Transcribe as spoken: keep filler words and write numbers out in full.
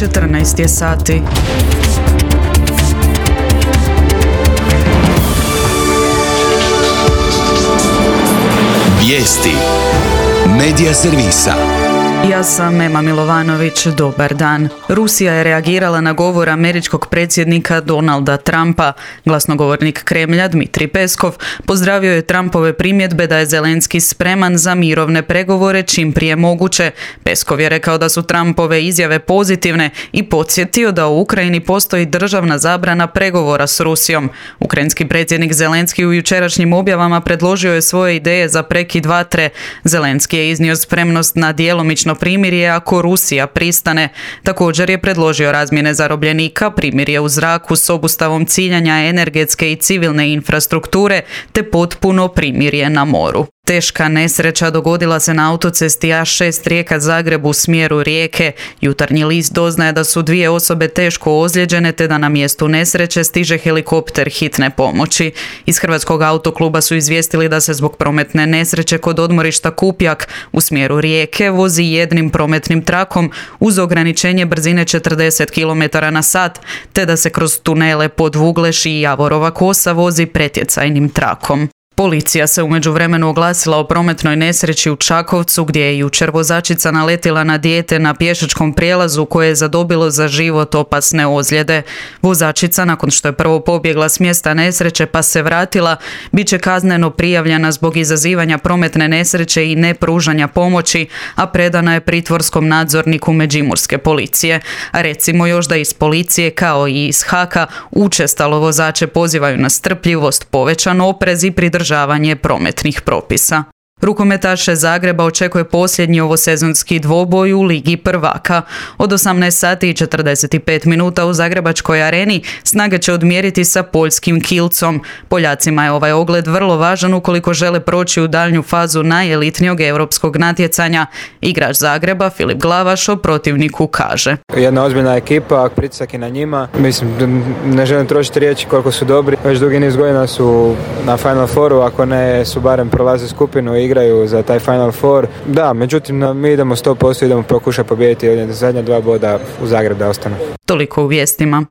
četrnaest je sati. Vijesti Medija servisa. Ja sam Ema Milovanović, dobar dan. Rusija je reagirala na govor američkog predsjednika Donalda Trumpa. Glasnogovornik Kremlja Dmitrij Peskov pozdravio je Trumpove primjedbe da je Zelenski spreman za mirovne pregovore čim prije moguće. Peskov je rekao da su Trumpove izjave pozitivne i podsjetio da u Ukrajini postoji državna zabrana pregovora s Rusijom. Ukrajinski predsjednik Zelenski u jučerašnjim objavama predložio je svoje ideje za prekid vatre. Zelenski je iznio spremnost na djelomično primirje ako Rusija pristane. Također je predložio razmjene zarobljenika, primirje u zraku s obustavom ciljanja energetske i civilne infrastrukture te potpuno primirje na moru. Teška nesreća dogodila se na autocesti A šest Rijeka-Zagreb u smjeru Rijeke. Jutarnji list doznaje da su dvije osobe teško ozlijeđene te da na mjestu nesreće stiže helikopter hitne pomoći. Iz Hrvatskog autokluba su izvijestili da se zbog prometne nesreće kod odmorišta Kupjak u smjeru Rijeke vozi jednim prometnim trakom uz ograničenje brzine četrdeset kilometara na sat, te da se kroz tunele Podvugleš i Javorova Kosa vozi pretjecajnim trakom. Policija se u međuvremenu oglasila o prometnoj nesreći u Čakovcu gdje je jučer vozačica naletila na dijete na pješačkom prijelazu koje je zadobilo za život opasne ozljede. Vozačica, nakon što je prvo pobjegla s mjesta nesreće pa se vratila, bit će kazneno prijavljena zbog izazivanja prometne nesreće i nepružanja pomoći, a predana je pritvorskom nadzorniku Međimurske policije. A recimo još da iz policije kao i iz Haka učestalo vozače pozivaju na strpljivost, povećan oprez i pridržavanje prometnih propisa. Rukometaše Zagreba očekuje posljednji ovosezonski dvoboj u Ligi prvaka. Od osamnaest sati i četrdeset pet minuta u Zagrebačkoj areni snage će odmjeriti sa poljskim Kielcom. Poljacima je ovaj ogled vrlo važan ukoliko žele proći u daljnju fazu najelitnijeg europskog natjecanja. Igrač Zagreba Filip Glavaš o protivniku kaže: Jedna ozbiljna ekipa, pritisak je na njima. Mislim, ne želim trošiti riječi koliko su dobri. Već dugi niz godina su na Final Fouru, ako ne su barem prolaze skupinu i igraju za taj Final Four. Da, međutim, mi idemo sto posto, idemo pokušati pobijediti zadnja dva boda u Zagreb da ostane. Toliko u vijestima.